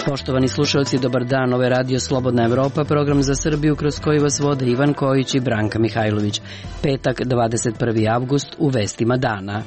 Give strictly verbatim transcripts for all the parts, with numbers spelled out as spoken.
Poštovani slušalci, dobar dan, ovo je Radio Slobodna Evropa, program za Srbiju kroz koji vas vode Ivan Kojić i Branka Mihajlović. Petak, dvadeset prvi avgust, u vestima dana.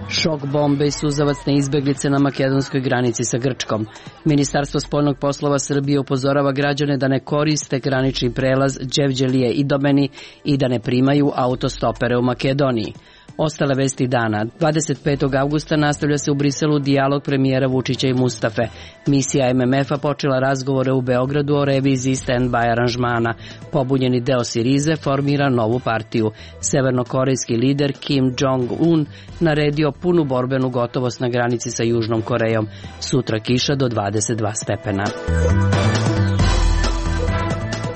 Šok bombe i suzavac na izbeglice na makedonskoj granici sa Grčkom. Ministarstvo spoljnog poslova Srbije upozorava građane da ne koriste granični prelaz Đevđelije i Idomeni i da ne primaju autostopere u Makedoniji. Ostale vesti dana. dvadeset petog avgusta nastavlja se u Briselu dijalog premijera Vučića i Mustafe. Misija M M F-a počela razgovore u Beogradu o reviziji stand-by aranžmana. Pobunjeni deo Sirize formira novu partiju. Severnokorejski lider Kim Jong-un naredio punu borbenu gotovost na granici sa Južnom Korejom. Sutra kiša do dvadeset dva stepena.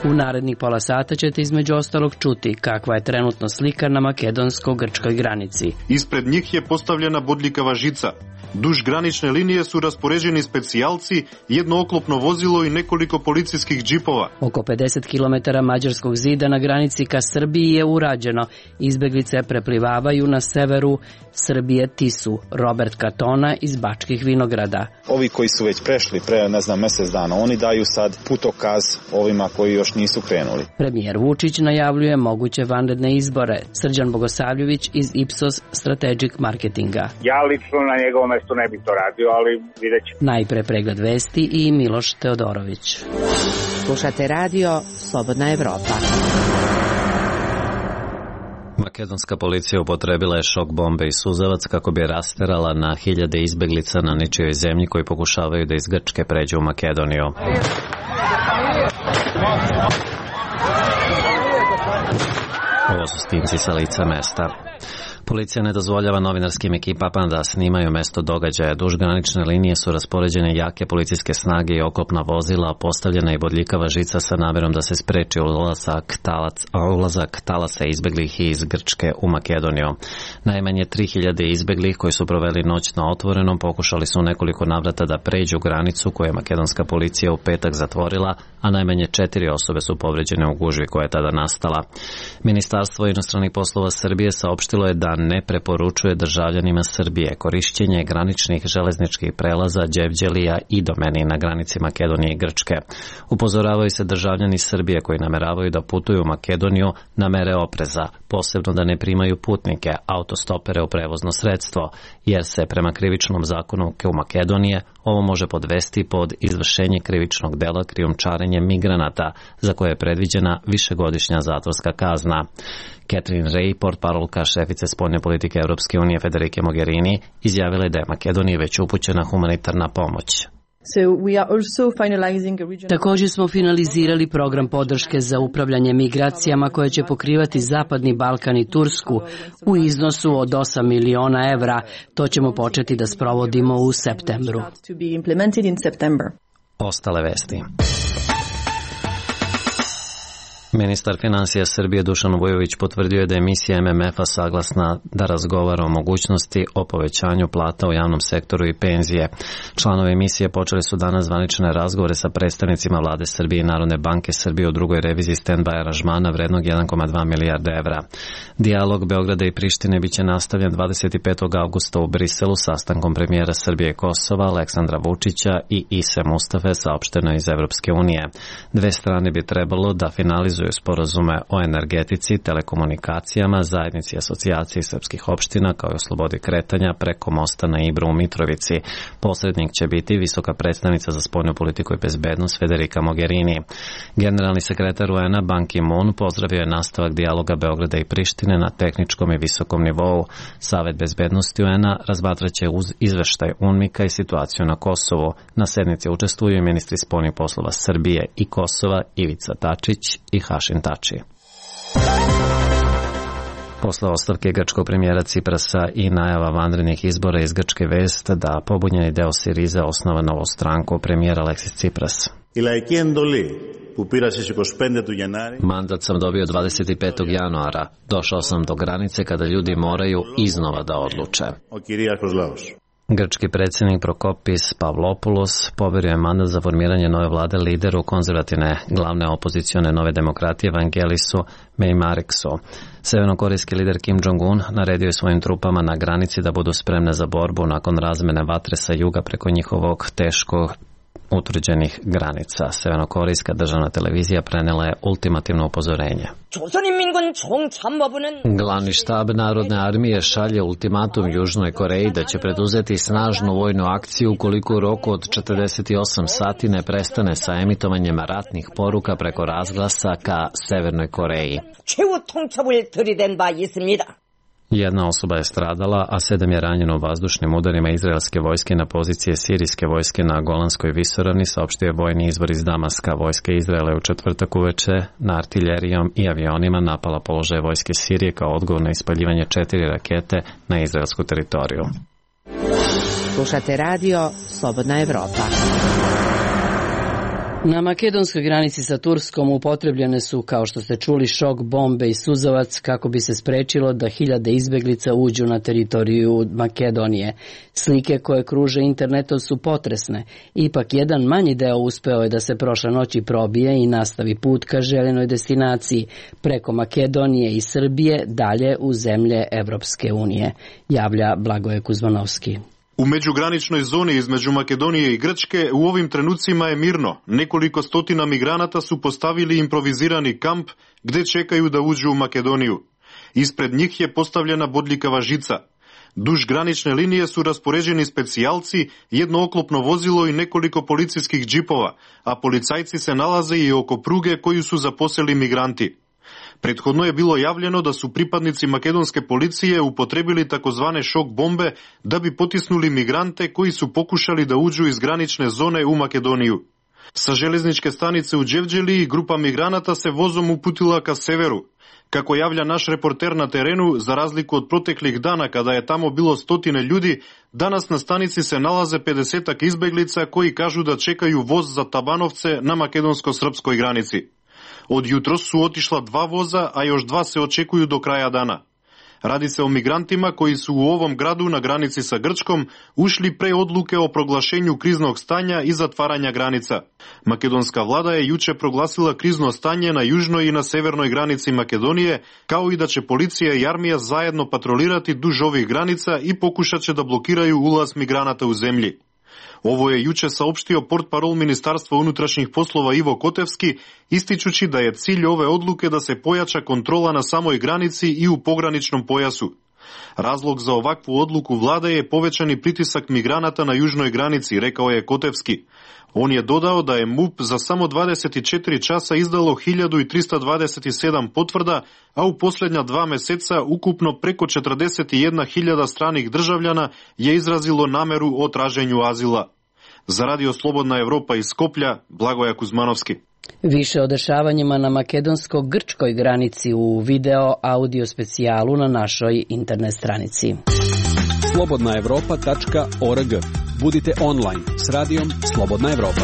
U narednih pola sata ćete između ostalog čuti kakva je trenutno slika na makedonsko-grčkoj granici. Ispred njih je postavljena bodljikava žica. Duž granične linije su raspoređeni specijalci, jedno oklopno vozilo i nekoliko policijskih džipova. Oko pedeset kilometara mađarskog zida na granici ka Srbiji je urađeno. Izbeglice preplivavaju na severu Srbije Tisu. Robert Katona iz Bačkih Vinograda. Ovi koji su već prešli pre, ne znam, mesec dana, oni daju sad putokaz ovima koji još nisu krenuli. Premijer Vučić najavljuje moguće vanredne izbore. Srđan Bogosavljević iz Ipsos Strategic Marketinga. Ja lično na njegovom mestu ne bih to radio, ali vidjet ćemo. Najpre pregled vesti i Miloš Teodorović. Slušate radio Slobodna Evropa. Makedonska policija upotrebila je šok bombe i suzavac kako bi rasterala na hiljade izbeglica na ničijoj zemlji koji pokušavaju da iz Grčke pređu u Makedoniju. Ovo su snimci sa lica mesta. Policija ne dozvoljava novinarskim ekipama da snimaju mesto događaja. Duž granične linije su raspoređene jake policijske snage i oklopna vozila, postavljena i bodljikava žica sa namerom da se spreči ulazak, talac, ulazak talasa izbeglih iz Grčke u Makedoniju. Najmanje tri hiljade izbeglih koji su proveli noć na otvorenom pokušali su nekoliko navrata da pređu granicu koju je makedonska policija u petak zatvorila, a najmanje četiri osobe su povređene u gužvi koja je tada nastala. Ministarstvo inostranih poslova Srbije saopštilo je da ne preporučuje državljanima Srbije korišćenje graničnih železničkih prelaza Đevđelija i Idomeni na granici Makedonije i Grčke. Upozoravaju se državljani Srbije koji nameravaju da putuju u Makedoniju na mere opreza, posebno da ne primaju putnike, autostopere u prevozno sredstvo, jer se prema krivičnom zakonu u Makedonije ovo može podvesti pod izvršenje krivičnog dela krijumčarenje migranata, za koje je predviđena višegodišnja zatvorska kazna. Catherine Ray, portparolka šefice spoljne politike Evropske unije Federike Mogherini, izjavila je da je Makedoniji već upućena humanitarna pomoć. Također smo finalizirali program podrške za upravljanje migracijama koje će pokrivati Zapadni Balkan i Tursku u iznosu od osam miliona evra. To ćemo početi da sprovodimo u septembru. Ostale vesti. Ministar finansija Srbije Dušan Vujović potvrdio je da je misija M M F-a saglasna da razgovara o mogućnosti o povećanju plata u javnom sektoru i penzije. Članovi misije počeli su danas zvanične razgovore sa predstavnicima vlade Srbije i Narodne banke Srbije u drugoj reviziji stand-by aranžmana vrednog jedan zarez dva milijarde evra. Dijalog Beograda i Prištine biće nastavljen dvadeset petog avgusta u Briselu sastankom premijera Srbije i Kosova Aleksandra Vučića i Ise Mustafe, saopšteno iz Evropske unije. Dve strane bi trebalo da finalizuju sporazume o energetici, telekomunikacijama, zajednici asocijaciji srpskih opština kao i o slobodi kretanja preko mosta na Ibru u Mitrovici. Posrednik će biti visoka predstavnica za spoljnu politiku i bezbednost Federika Mogherini. Generalni sekretar U N-a Ban Ki-moon pozdravio je nastavak dijaloga Beograda i Prištine na tehničkom i visokom nivou. Savet bezbednosti U N-a razmatraće uz izveštaj UNMIK-a i situaciju na Kosovu. Na sednici učestvuju ministri spoljnih poslova Srbije i Kosova Ivica Dačić i Hašim Tači. Posle ostavke grčkog premijera Ciprasa i najava vanrednih izbora iz Grčke vest da pobunjeni deo Sirize osnova novu stranku, premijer Aleksis Cipras. Mandat sam dobio dvadeset petog januara. Došao sam do granice kada ljudi moraju iznova da odluče. Grčki predsjednik Prokopis Pavlopoulos poverio je mandat za formiranje nove vlade lideru konzervativne glavne opozicione Nove demokratije Vangelisu Meimareksu. Severnokorejski lider Kim Jong-un naredio je svojim trupama na granici da budu spremne za borbu nakon razmene vatre sa juga preko njihovog teško utvrđenih granica. Severnokorejska državna televizija prenela je ultimativno upozorenje. Glavni štab Narodne armije šalje ultimatum Južnoj Koreji da će preduzeti snažnu vojnu akciju ukoliko u roku od četrdeset osam sati ne prestane sa emitovanjem ratnih poruka preko razglasa ka Severnoj Koreji. Jedna osoba je stradala, a sedam je ranjeno u vazdušnim udarima izraelske vojske na pozicije sirijske vojske na Golanskoj visoravni, saopštio je vojni izvor iz Damaska. Vojska Izraela u četvrtak uveče na artiljerijom i avionima napala položaje vojske Sirije kao odgovor na ispaljivanje četiri rakete na izraelsku teritoriju. Slušate radio Slobodna Evropa. Na makedonskoj granici sa Turskom upotrebljene su, kao što ste čuli, šok bombe i suzavac kako bi se sprečilo da hiljade izbeglica uđu na teritoriju Makedonije. Slike koje kruže internetom su potresne. Ipak jedan manji deo uspeo je da se prošle noći probije i nastavi put ka željenoj destinaciji preko Makedonije i Srbije dalje u zemlje Evropske unije, javlja Blagoje Kuzmanovski. U međugraničnoj zoni između Makedonije i Grčke u ovim trenucima je mirno. Nekoliko stotina migranata su postavili improvizirani kamp gde čekaju da uđu u Makedoniju. Ispred njih je postavljena bodljikava žica. Duž granične linije su raspoređeni specijalci, jedno oklopno vozilo i nekoliko policijskih džipova, a policajci se nalaze i oko pruge koju su zaposeli migranti. Prethodno je bilo javljeno da su pripadnici makedonske policije upotrebili takozvane šok bombe da bi potisnuli migrante koji su pokušali da uđu iz granične zone u Makedoniju. Sa železničke stanice u Đevđeliji grupa migranata se vozom uputila ka severu. Kako javlja naš reporter na terenu, za razliku od proteklih dana kada je tamo bilo stotine ljudi, danas na stanici se nalaze pedesetak izbeglica koji kažu da čekaju voz za Tabanovce na makedonsko-srpskoj granici. Od jutros su otišla dva voza, a još dva se očekuju do kraja dana. Radi se o migrantima koji su u ovom gradu na granici sa Grčkom ušli pre odluke o proglašenju kriznog stanja i zatvaranja granica. Makedonska vlada je juče proglasila krizno stanje na južnoj i na severnoj granici Makedonije, kao i da će policija i armija zajedno patrolirati duž ovih granica i pokušat će da blokiraju ulaz migranata u zemlji. Ovo je juče saopštio portparol Ministarstva unutrašnjih poslova Ivo Kotevski, ističući da je cilj ove odluke da se pojača kontrola na samoj granici i u pograničnom pojasu. Razlog za ovakvu odluku vlade je povećani pritisak migranata na južnoj granici, rekao je Kotevski. On je dodao da je MUP za samo dvadeset četiri časa izdalo hiljadu trista dvadeset sedam potvrda, a u posljednja dva meseca ukupno preko četrdeset jedna hiljada stranih državljana je izrazilo nameru o traženju azila. Za Radio Slobodna Evropa iz Skoplja, Blagoje Kuzmanovski. Više o dešavanjima na makedonsko-grčkoj granici u video audio specijalu na našoj internet stranici. slobodna evropa tačka org. Budite online s radijom Slobodna Evropa.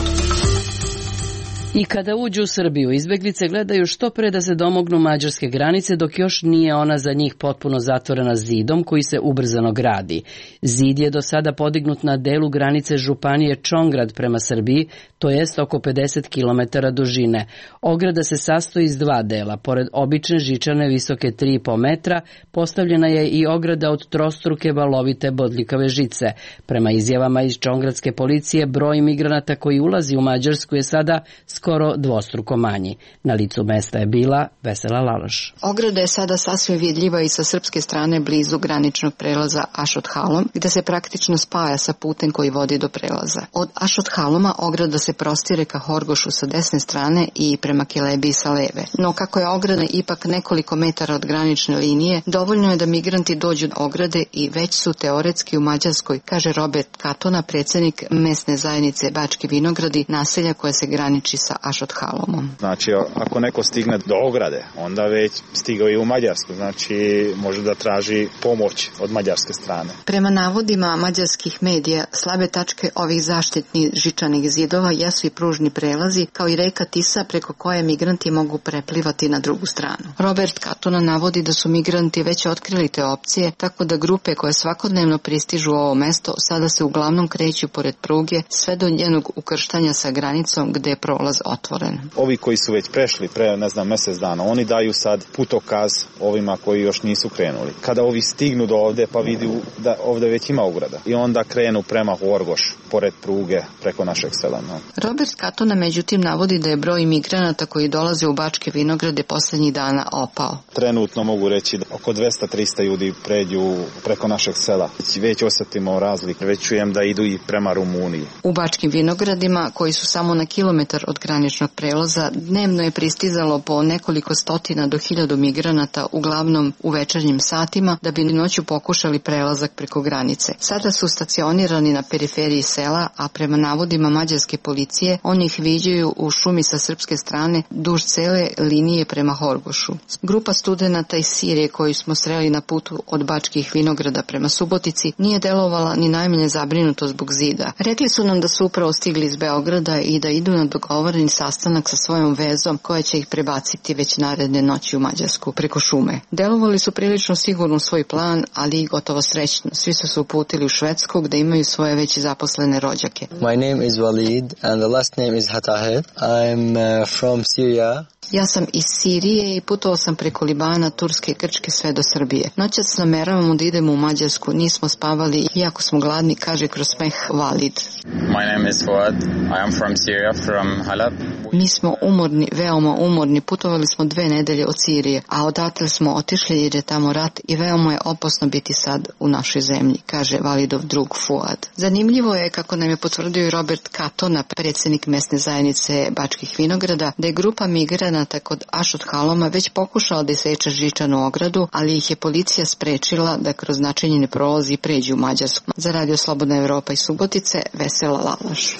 I kada uđu u Srbiju, izbeglice gledaju što pre da se domognu mađarske granice, dok još nije ona za njih potpuno zatvorena zidom koji se ubrzano gradi. Zid je do sada podignut na delu granice županije Čongrad prema Srbiji, to jest oko pedeset kilometara dužine. Ograda se sastoji iz dva dela. Pored obične žičane visoke tri i po metra, postavljena je i ograda od trostruke valovite bodljikave žice. Prema izjavama iz čongradske policije, broj migranata koji ulazi u Mađarsku je sada skoro dvostruko manji. Na licu mesta je bila Vesela Laloš. Ograda je sada sasvim vidljiva i sa srpske strane blizu graničnog prelaza Ašot-Halom, gde se praktično spaja sa putem koji vodi do prelaza. Od Ašot-Haloma ograda se prostire ka Horgošu sa desne strane i prema Kelebiji sa leve. No kako je ograda ipak nekoliko metara od granične linije, dovoljno je da migranti dođu do ograde i već su teoretski u Mađarskoj, kaže Robert Katona, predsjednik mesne zajednice Bački Vinogradi, naselja koje se graniči sa sa Ašot Halomom. Znači, ako neko stigne do ograde, onda već stigao i u Mađarsku, znači može da traži pomoć od mađarske strane. Prema navodima mađarskih medija, slabe tačke ovih zaštitnih žičanih zidova jesu i pružni prelazi, kao i reka Tisa preko koje migranti mogu preplivati na drugu stranu. Robert Katona navodi da su migranti već otkrili te opcije, tako da grupe koje svakodnevno pristižu u ovo mesto sada se uglavnom kreću pored pruge sve do njenog ukrštanja sa granicom gde je prolaz otvoren. Ovi koji su već prešli pre, ne znam, mesec dana, oni daju sad putokaz ovima koji još nisu krenuli. Kada ovi stignu do ovde pa vidi da ovde već ima ograda i onda krenu prema Horgoš, pored pruge, preko našeg sela. No. Robert Katona međutim navodi da je broj migranata koji dolaze u Bačke Vinograde poslednjih dana opao. Trenutno mogu reći da oko dvesta do trista ljudi pređu preko našeg sela. Već osetimo razlike, već čujem da idu i prema Rumuniji. U Bačkim Vinogradima, koji su samo na kilometar od graničnog prelaza, dnevno je pristizalo po nekoliko stotina do hiljadu migranata, uglavnom u večernjim satima, da bi noću pokušali prelazak preko granice. Sada su stacionirani na periferiji sela, a prema navodima mađarske policije, oni ih viđaju u šumi sa srpske strane duž cele linije prema Horgošu. Grupa studenata iz Sirije koju smo sreli na putu od Bačkih Vinograda prema Subotici nije delovala ni najmanje zabrinuto zbog zida. Rekli su nam da su upravo stigli iz Beograda i da idu na dogovoreni sastanak sa svojom vezom koja će ih prebaciti već naredne noći u Mađarsku preko šume. Delovali su prilično sigurno u svoj plan, ali i gotovo srećno. Svi su se uputili u Švedsku gde imaju svoje već zaposlene rođake. My name is Walid and the last name is Hatahed. I'm uh, from Syria. Ja sam iz Sirije i putovao sam preko Libana, Turske i Grčke sve do Srbije. Noćas nameravamo da idemo u Mađarsku, nismo spavali, iako smo gladni, kaže kroz smeh Valid. My name is Fuad. I am from Syria, from Halab. Mi smo umorni, veoma umorni, putovali smo dve nedelje od Sirije, a odatle smo otišli jer je tamo rat i veoma je opasno biti sad u našoj zemlji, kaže Validov drug Fuad. Zanimljivo je, kako nam je potvrdio i Robert Katona, predsjednik mesne zajednice Bačkih Vinograda, da je grupa migranata kod Ašot Haloma već pokušala da iseče žičanu ogradu, ali ih je policija sprečila da kroz načinjeni prolazi pređu u Mađarsku. Za Radio Slobodna Evropa iz Subotice, Vesela Lalaš.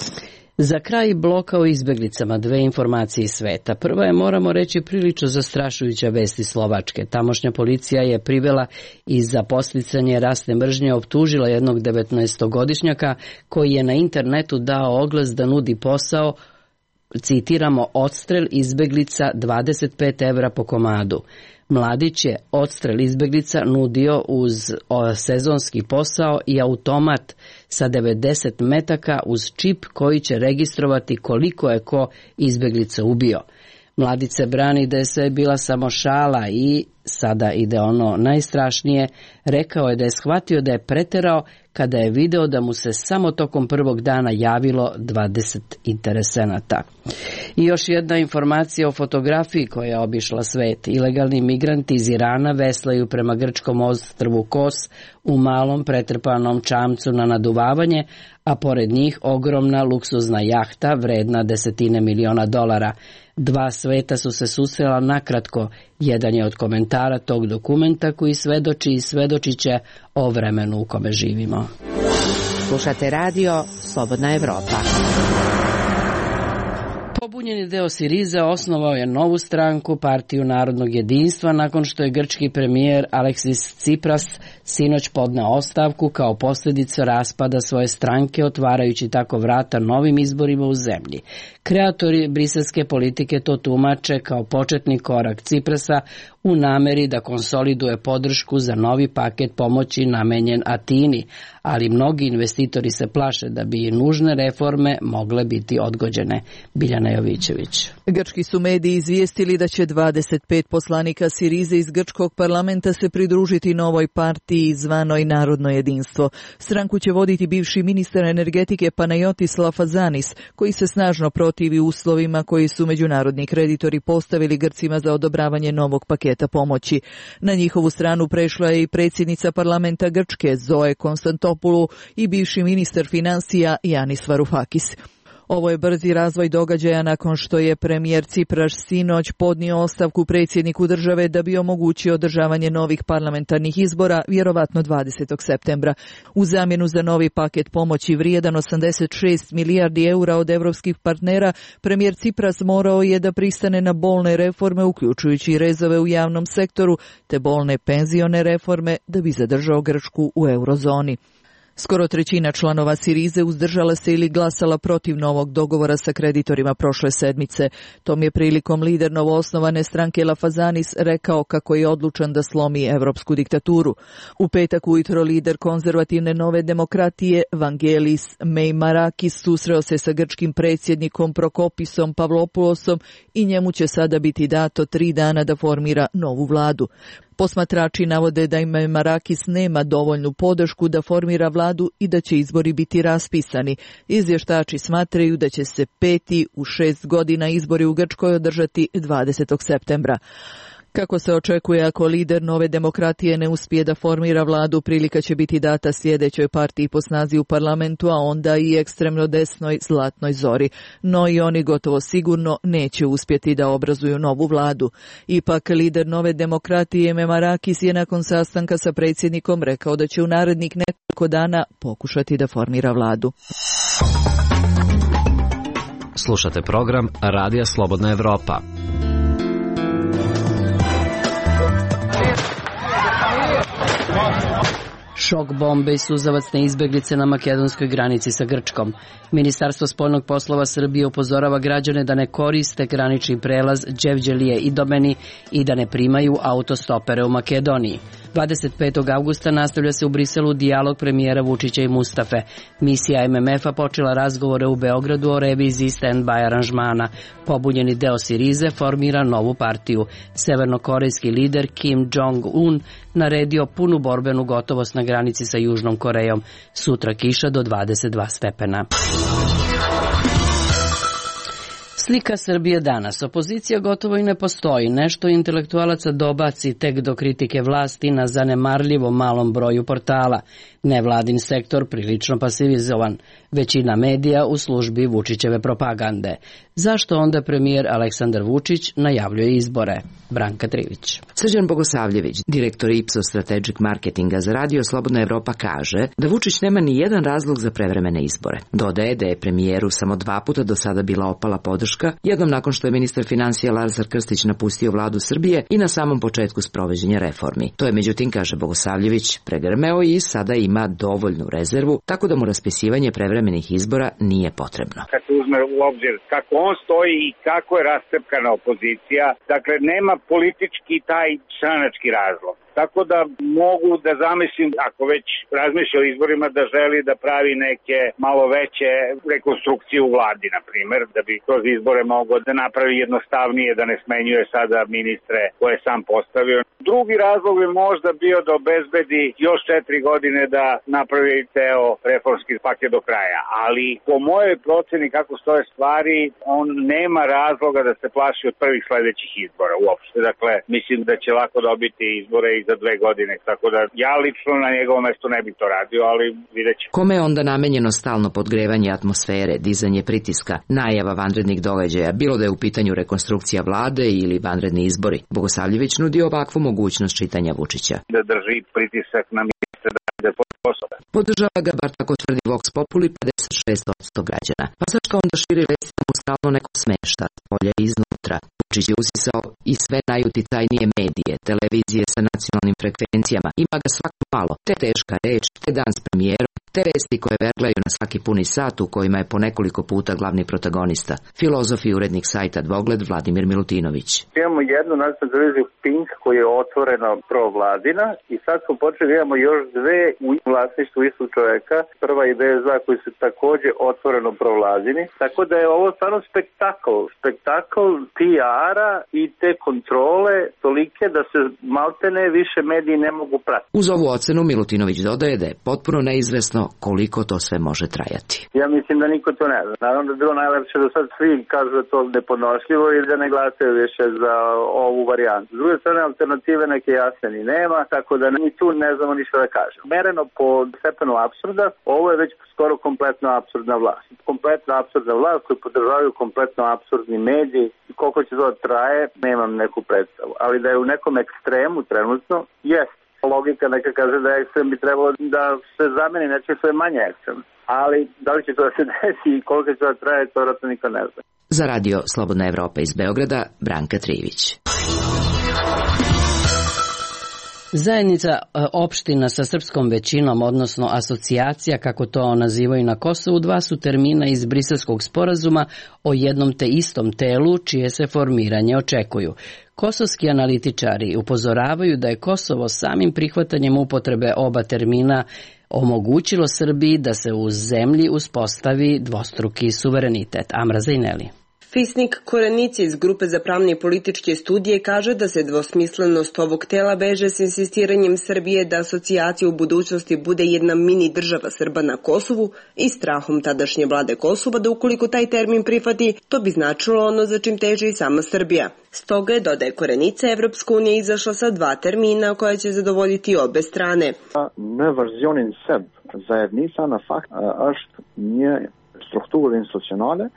Za kraj bloka o izbeglicama dve informacije iz sveta. Prva je, moramo reći, prilično zastrašujuća vest iz Slovačke. Tamošnja policija je privela i za podsticanje rasne mržnje optužila jednog devetnaestogodišnjaka koji je na internetu dao oglas da nudi posao, citiramo, odstrel izbeglica dvadeset pet evra po komadu. Mladić je odstrel izbeglica nudio uz sezonski posao i automat sa devedeset metaka uz čip koji će registrovati koliko je ko izbeglica ubio. Mladić se brani da je sve bila samo šala i, sada ide ono najstrašnije, rekao je da je shvatio da je preterao kada je video da mu se samo tokom prvog dana javilo dvadeset interesenata. I još jedna informacija o fotografiji koja je obišla svet. Ilegalni migranti iz Irana veslaju prema grčkom ostrvu Kos u malom pretrpanom čamcu na naduvavanje, a pored njih ogromna luksuzna jahta vredna desetine miliona dolara. Dva sveta su se susrela nakratko. Jedan je od komentara tog dokumenta koji svedoči i svedočiće o vremenu u kome živimo. Slušate radio Slobodna Evropa. Pobunjeni deo Sirize osnovao je novu stranku, Partiju narodnog jedinstva, nakon što je grčki premijer Aleksis Tsipras sinoć podneo ostavku kao posljedicu raspada svoje stranke, otvarajući tako vrata novim izborima u zemlji. Kreatori briselske politike to tumače kao početni korak Tsiprasa u nameri da konsoliduje podršku za novi paket pomoći namenjen Atini, ali mnogi investitori se plaše da bi i nužne reforme mogle biti odgođene. Biljana Jovićević. Grčki su mediji izvijestili da će dvadeset pet poslanika Sirize iz grčkog parlamenta se pridružiti novoj partiji zvanoj Narodno jedinstvo. Stranku će voditi bivši ministar energetike Panayotis Lafazanis, koji se snažno protivi uslovima koji su međunarodni kreditori postavili Grcima za odobravanje novog paketa pomoći. Na njihovu stranu prešla je i predsjednica parlamenta Grčke Zoe Konstantopoulou i bivši ministar financija Yanis Varoufakis. Ovo je brzi razvoj događaja nakon što je premijer Cipras sinoć podnio ostavku predsjedniku države da bi omogućio održavanje novih parlamentarnih izbora, vjerovatno dvadesetog septembra. U zamjenu za novi paket pomoći vrijedan osamdeset šest milijardi eura od evropskih partnera, premijer Cipras morao je da pristane na bolne reforme, uključujući rezove u javnom sektoru, te bolne penzione reforme da bi zadržao Grčku u eurozoni. Skoro trećina članova Sirize uzdržala se ili glasala protiv novog dogovora sa kreditorima prošle sedmice. Tom je prilikom lider novoosnovane stranke Lafazanis rekao kako je odlučan da slomi evropsku diktaturu. U petak ujutro lider konzervativne Nove demokratije Vangelis Meimarakis susreo se sa grčkim predsjednikom Prokopisom Pavlopoulosom i njemu će sada biti dato tri dana da formira novu vladu. Posmatrači navode da im Marakis nema dovoljnu podršku da formira vladu i da će izbori biti raspisani. Izvještači smatraju da će se peti u šest godina izbori u Grčkoj održati dvadesetog septembra. Kako se očekuje, ako lider Nove demokratije ne uspije da formira vladu, prilika će biti data sljedećoj partiji po snazi u parlamentu, a onda i ekstremno desnoj Zlatnoj zori. No i oni gotovo sigurno neće uspjeti da obrazuju novu vladu. Ipak, lider Nove demokratije Meimarakis je nakon sastanka sa predsjednikom rekao da će u narednih nekoliko dana pokušati da formira vladu. Slušate program Radija Slobodna Evropa. Šok bombe i suzavacne izbeglice na makedonskoj granici sa Grčkom. Ministarstvo spoljnog poslova Srbije upozorava građane da ne koriste granični prelaz Đevđelije i Domeni i da ne primaju autostopere u Makedoniji. dvadeset petog avgusta nastavlja se u Briselu dijalog premijera Vučića i Mustafe. Misija M M F-a počela razgovore u Beogradu o reviziji stand-by aranžmana. Pobunjeni deo Sirize formira novu partiju. Severnokorejski lider Kim Jong-un naredio punu borbenu gotovost na granici sa Južnom Korejom. Sutra kiša do dvadeset dva stepena. Slika Srbije danas. Opozicija gotovo i ne postoji. Nešto intelektualaca dobaci tek do kritike vlasti na zanemarljivo malom broju portala. Nevladin sektor prilično pasivizovan. Većina medija u službi Vučićeve propagande. Zašto onda premijer Aleksandar Vučić najavljuje izbore? Branka Trivić. Srđan Bogosavljević, direktor Ipsos Strategic Marketinga za Radio Slobodna Evropa, kaže da Vučić nema ni jedan razlog za prevremene izbore. Dodaje da je premijeru samo dva puta do sada bila opala podrška, jednom nakon što je ministar financija Lazar Krstić napustio vladu Srbije i na samom početku sprovođenja reformi. To je, međutim, kaže Bogosavljević, pregrmeo i sada ima dovoljnu rezervu, tako da mu raspisivanje prevremenih izbora nije potrebno. Kad se uzme u obzir kako on stoji i kako je rascepkana opozicija, dakle nema politički taj stranački razlog. Tako da mogu da zamislim, ako već razmišlja o izborima, da želi da pravi neke malo veće rekonstrukcije u vladi, na primjer, da bi kroz izbore mogao da napravi jednostavnije, da ne smenjuje sada ministre koje je sam postavio. Drugi razlog bi možda bio da obezbedi još četiri godine da napravi ceo reformski paket do kraja. Ali po mojoj proceni kako stoje stvari, on nema razloga da se plaši od prvih sledećih izbora uopšte. Dakle, mislim da će lako dobiti izbore i za dve godine, tako da ja lično na njegovom mestu ne bih to radio, ali vidjet ćemo. Kome je onda namenjeno stalno podgrevanje atmosfere, dizanje pritiska, najava vanrednih događaja, bilo da je u pitanju rekonstrukcija vlade ili vanredni izbori? Bogosavljević nudi ovakvu mogućnost čitanja Vučića. Da drži pritisak na ministre da ide pod posao. Podržava ga, bar tako tvrdi Vox Populi, pedeset šest posto građana. Pa zašto onda širi vesti da mu stalno neko smešta, polja iznutra? Vučić je usisao i sve najuticajnije medije, televizije sa nacionalnim frekvencijama. Ima ga svako malo, te teška reč, te dan s premijerom, te vesti koje verglaju na svaki puni sat u kojima je po nekoliko puta glavni protagonista. Filozof i urednik sajta Dvogled Vladimir Milutinović. Imamo jednu nacionalnu televiziju Pink koja je otvoreno provladina i sad smo počeli, imamo još dve u vlasništvu istog čoveka. Prva i B S dva koji su također otvoreno provladini. Tako da je ovo stvarno spektakl. Spektakl P R-a i te kontrole tolike da se maltene više mediji ne mogu pratiti. Uz ovu ocenu Milutinović dodaje da je potpuno neizvesno odnosno koliko to sve može trajati. Ja mislim da niko to ne zna. Naravno da je bilo najlepše da sad svi kažu da to nepodnošljivo i da ne glasaju više za ovu varijantu. S druge strane, alternative neke jasne ni nema, tako da ni tu ne znamo ništa da kažemo. Mereno po stepenu apsurda, ovo je već skoro kompletno apsurdna vlast. Kompletno apsurdna vlast koju podržavaju kompletno apsurdni mediji. Koliko će to traje, nemam neku predstavu. Ali da je u nekom ekstremu trenutno, jest. Logika neka kaže da ekstrem bi trebalo da se zameni nečim što je manje ekstrem. Ali da li će to da se desi i koliko će to da traje, to vjerojatno niko ne zna. Za radio Slobodna Evropa iz Beograda, Branka Trivić. Zajednica opština sa srpskom većinom, odnosno asocijacija, kako to nazivaju na Kosovu, dva su termina iz Briselskog sporazuma o jednom te istom telu, čije se formiranje očekuju. Kosovski analitičari upozoravaju da je Kosovo samim prihvatanjem upotrebe oba termina omogućilo Srbiji da se u zemlji uspostavi dvostruki suverenitet. Amra Zajneli. Fisnik Korenici iz Grupe za pravne i političke studije kaže da se dvosmislenost ovog tela veže s insistiranjem Srbije da asocijacija u budućnosti bude jedna mini država Srba na Kosovu i strahom tadašnje vlade Kosova da ukoliko taj termin prihvati, to bi značilo ono za čim teži i sama Srbija. Stoga je, dodaje Korenica, Evropska unija izašla sa dva termina koja će zadovoljiti obe strane. Në verzionin serb, zajednica na fakt është një strukturë institucionale.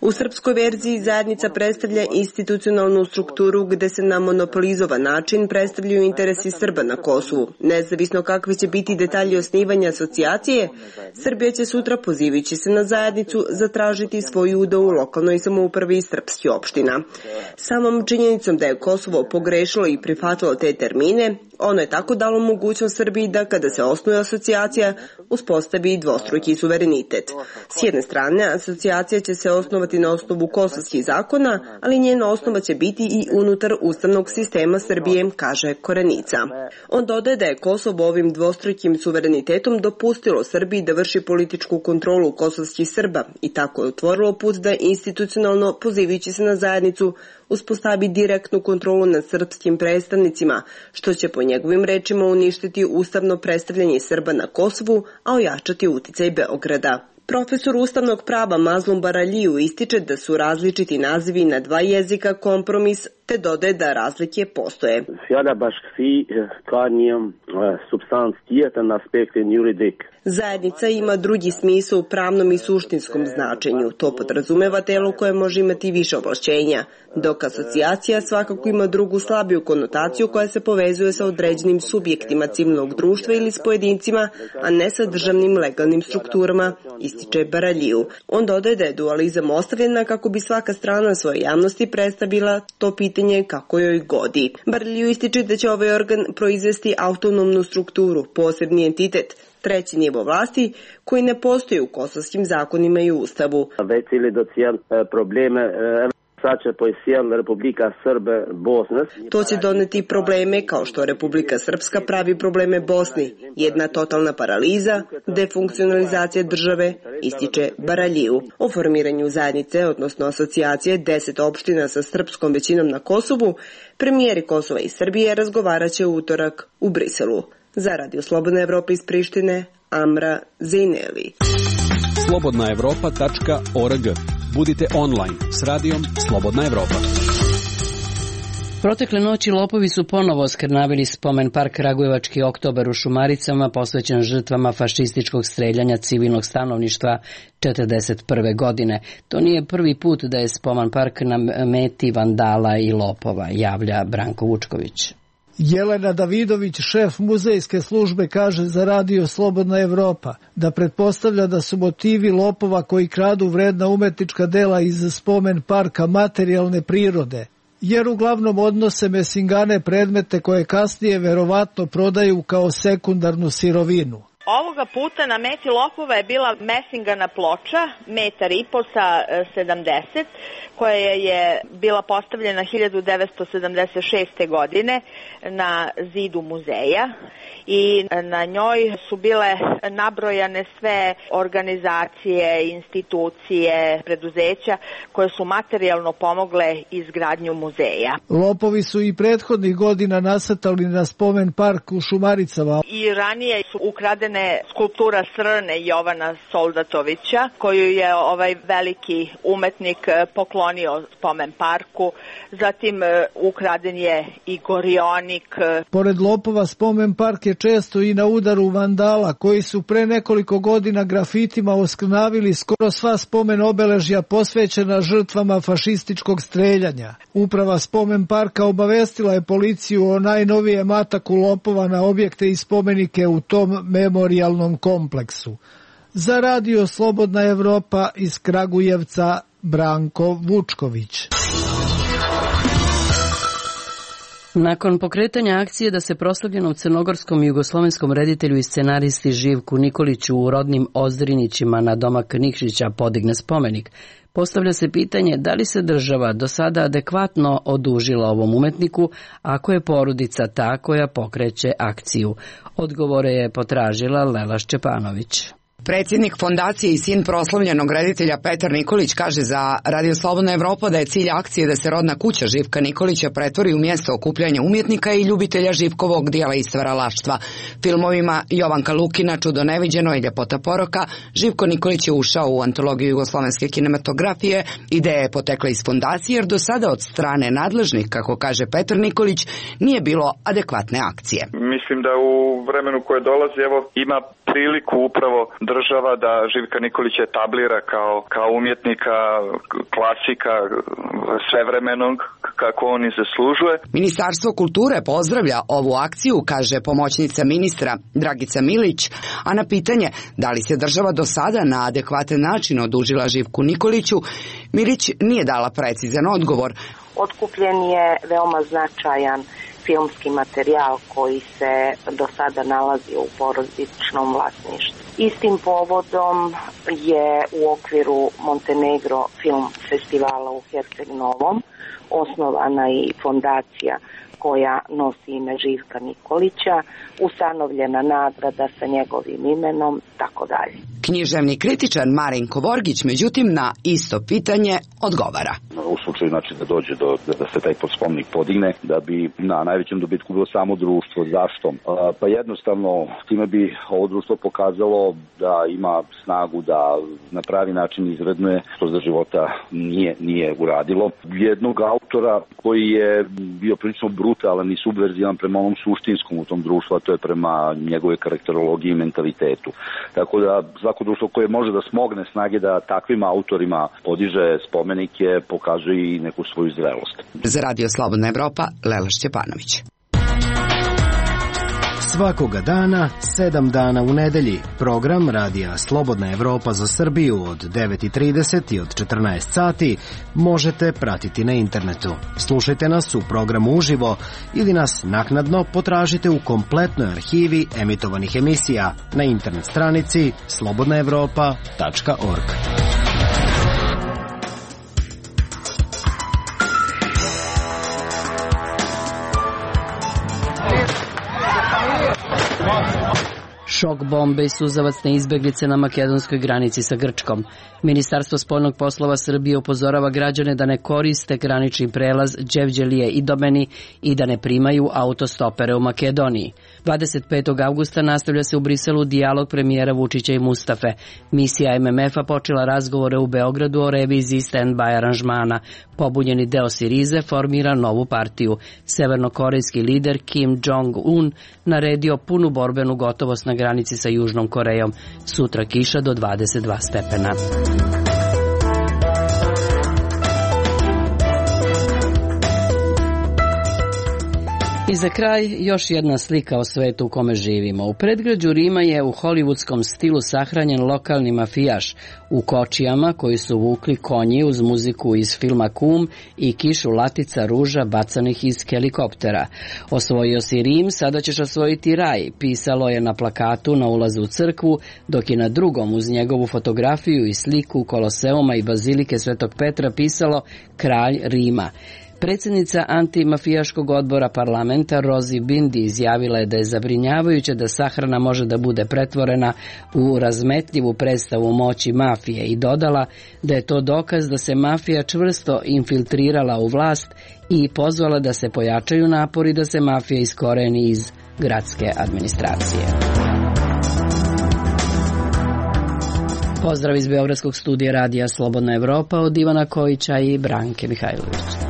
U srpskoj verziji zajednica predstavlja institucionalnu strukturu gde se na monopolizovan način predstavljaju interesi Srba na Kosovu. Nezavisno kakvi će biti detalji osnivanja asocijacije, Srbija će sutra, pozivajući se na zajednicu, zatražiti svoju udeo u lokalnoj samoupravi srpskih opština. Samom činjenicom da je Kosovo pogrešilo i prihvatilo te termine, ono je tako dalo mogućnost Srbiji da kada se osnuje asocijacija, uspostavi dvostruki suverenitet. S jedne strane, asocijacija će se osnovati na osnovu kosovskih zakona, ali njena osnova će biti i unutar ustavnog sistema Srbije, kaže Korenica. On dodaje da je Kosovo ovim dvostrukim suverenitetom dopustilo Srbiji da vrši političku kontrolu kosovskih Srba i tako je otvorilo put da institucionalno, pozivajući se na zajednicu, uspostavi direktnu kontrolu nad srpskim predstavnicima, što će po njegovim rečima uništiti ustavno predstavljanje Srba na Kosovu, a ojačati uticaj Beograda. Profesor ustavnog prava Mazlum Baraliju ističe da su različiti nazivi na dva jezika kompromis, te dodaje da razlike postoje. Fjala bashkësi ka një supstancë tjetër në aspektin juridik. Zajednica ima drugi smisao u pravnom i suštinskom značenju. To podrazumeva telo koje može imati više ovlašćenja, dok asocijacija svakako ima drugu slabiju konotaciju koja se povezuje sa određenim subjektima civilnog društva ili s pojedincima, a ne sa državnim legalnim strukturama, ističe Baraliju. On dodaje da je dualizam ostavljena kako bi svaka strana svoje javnosti predstavila to pitanje kako joj godi. Baraliju ističe da će ovaj organ proizvesti autonomnu strukturu, posebni entitet, treći nivo vlasti koji ne postoji u kosovskim zakonima i ustavu. Već ili do cijel probleme Republika Srbe Bosne. To će doneti probleme kao što Republika Srpska pravi probleme Bosni. Jedna totalna paraliza, defunkcionalizacija države, ističe Baraliju. O formiranju zajednice, odnosno asocijacije deset opština sa srpskom većinom na Kosovu, premijeri Kosova i Srbije razgovaraće u utorak u Briselu. Za Radio Slobodna Evropa iz Prištine, Amra Zejneli. slobodna evropa tačka org. Budite online s radijom Slobodna Evropa. Protekle noći lopovi su ponovo oskrnavili spomen park Kragujevački oktobar u Šumaricama, posvećen žrtvama fašističkog streljanja civilnog stanovništva četrdeset prve godine. To nije prvi put da je spomen park na meti vandala i lopova, javlja Branko Vučković. Jelena Davidović, šef muzejske službe, kaže za radio Slobodna Evropa da pretpostavlja da su motivi lopova koji kradu vredna umetnička dela iz spomen parka materijalne prirode, jer uglavnom odnose mesingane predmete koje kasnije verovatno prodaju kao sekundarnu sirovinu. Ovoga puta na meti lopova je bila mesingana ploča, metar i po sa sedamdeset, koja je bila postavljena hiljadu devetsto sedamdeset šeste. godine na zidu muzeja i na njoj su bile nabrojane sve organizacije, institucije, preduzeća koje su materijalno pomogle izgradnju muzeja. Lopovi su i prethodnih godina nasrtali na spomen park u Šumaricama. i ranije su ukradene skulptura Srne Jovana Soldatovića, koju je ovaj veliki umetnik poklonio spomen parku. Zatim ukraden je i gorionik. Pored lopova, spomen park je često i na udaru vandala koji su pre nekoliko godina grafitima oskrnavili skoro sva spomen obeležja posvećena žrtvama fašističkog streljanja. Uprava spomen parka obavestila je policiju o najnovijem ataku lopova na objekte i spomenike u tom memorijalnom kompleksu. Za Radio Slobodna Evropa iz Kragujevca, Branko Vučković. Nakon pokretanja akcije da se proslavljenom crnogorskom i jugoslovenskom reditelju i scenaristi Živku Nikoliću u rodnim Ozdrinićima na domak Nikšića podigne spomenik, postavlja se pitanje da li se država do sada adekvatno odužila ovom umetniku ako je porodica ta koja pokreće akciju. Odgovore je potražila Lela Šćepanović. Predsjednik fondacije i sin proslavljenog reditelja Petar Nikolić kaže za Radio Slobodna Evropa da je cilj akcije da se rodna kuća Živka Nikolića pretvori u mjesto okupljanja umjetnika i ljubitelja Živkovog dijela i stvaralaštva. Filmovima Jovanka Lukina, Čudo neviđeno i Ljepota poroka, Živko Nikolić je ušao u antologiju jugoslovenske kinematografije. Ideja je potekla iz fondacije jer do sada od strane nadležnih, kako kaže Petar Nikolić, nije bilo adekvatne akcije. Mislim da u vremenu koje dolazi evo ima priliku upravo država da Živka Nikolića etablira kao, kao umjetnika, klasika svevremenog, kako on i zaslužuje. Ministarstvo kulture pozdravlja ovu akciju, kaže pomoćnica ministra Dragica Milić, a na pitanje da li se država do sada na adekvatan način odužila Živku Nikoliću, Milić nije dala precizan odgovor. Otkupljen je veoma značajan filmski materijal koji se do sada nalazio u porodičnom vlasništvu. Istim povodom je u okviru Montenegro film festivala u Herceg Novom osnovana i fondacija koja nosi ime Živka Nikolića, ustanovljena nagrada sa njegovim imenom, tako dalje. Književni kritičar Marinko Vorgić, međutim, na isto pitanje odgovara. U slučaju znači da dođe do da se taj spomenik podigne, da bi na najvećem dobitku bilo samo društvo. Zašto? Pa jednostavno time bi ovo društvo pokazalo da ima snagu da na pravi način izvrednuje što za života nije, nije uradilo. Jednog autora koji je bio prilično brutalan i subverzivan prema onom suštinskom u tom društvu, a to je prema njegove karakterologiji i mentalitetu. Tako da svako društvo koje može da smogne snage da takvim autorima podiže spomenike, pokazuje i neku svoju zrelost. Za Radio Slobodna Evropa, Lela Šćepanović. Svakoga dana, sedam dana u nedelji, program Radija Slobodna Evropa za Srbiju od devet i trideset i od četrnaest sati možete pratiti na internetu. Slušajte nas u programu uživo ili nas naknadno potražite u kompletnoj arhivi emitovanih emisija na internet stranici slobodna evropa tačka org. Šok bombe i suzavacne izbeglice na makedonskoj granici sa Grčkom. Ministarstvo spoljnog poslova Srbije upozorava građane da ne koriste granični prelaz Đevđelije i Domeni i da ne primaju autostopere u Makedoniji. dvadeset petog avgusta nastavlja se u Briselu dijalog premijera Vučića i Mustafe. Misija em em ef-a počela razgovore u Beogradu o reviziji stand-by aranžmana. Pobunjeni deo Sirize formira novu partiju. Severnokorejski lider Kim Jong-un naredio punu borbenu gotovost na granici sa Južnom Korejom. Sutra kiša do dvadeset dva stepena. I za kraj još jedna slika o svetu u kome živimo. U predgrađu Rima je u hollywoodskom stilu sahranjen lokalni mafijaš u kočijama koji su vukli konji uz muziku iz filma Kum i kišu latica ruža bacanih iz helikoptera. Osvojio si Rim, sada ćeš osvojiti raj, pisalo je na plakatu na ulazu u crkvu, dok je na drugom uz njegovu fotografiju i sliku Koloseuma i Bazilike Svetog Petra pisalo Kralj Rima. Predsjednica antimafijaškog odbora parlamenta Rozi Bindi izjavila je da je zabrinjavajuće da sahrana može da bude pretvorena u razmetljivu predstavu moći mafije i dodala da je to dokaz da se mafija čvrsto infiltrirala u vlast i pozvala da se pojačaju napori da se mafija iskoreni iz gradske administracije. Pozdrav iz Beogradskog studija radija Slobodna Evropa od Ivana Kojića i Branke Mihajlović.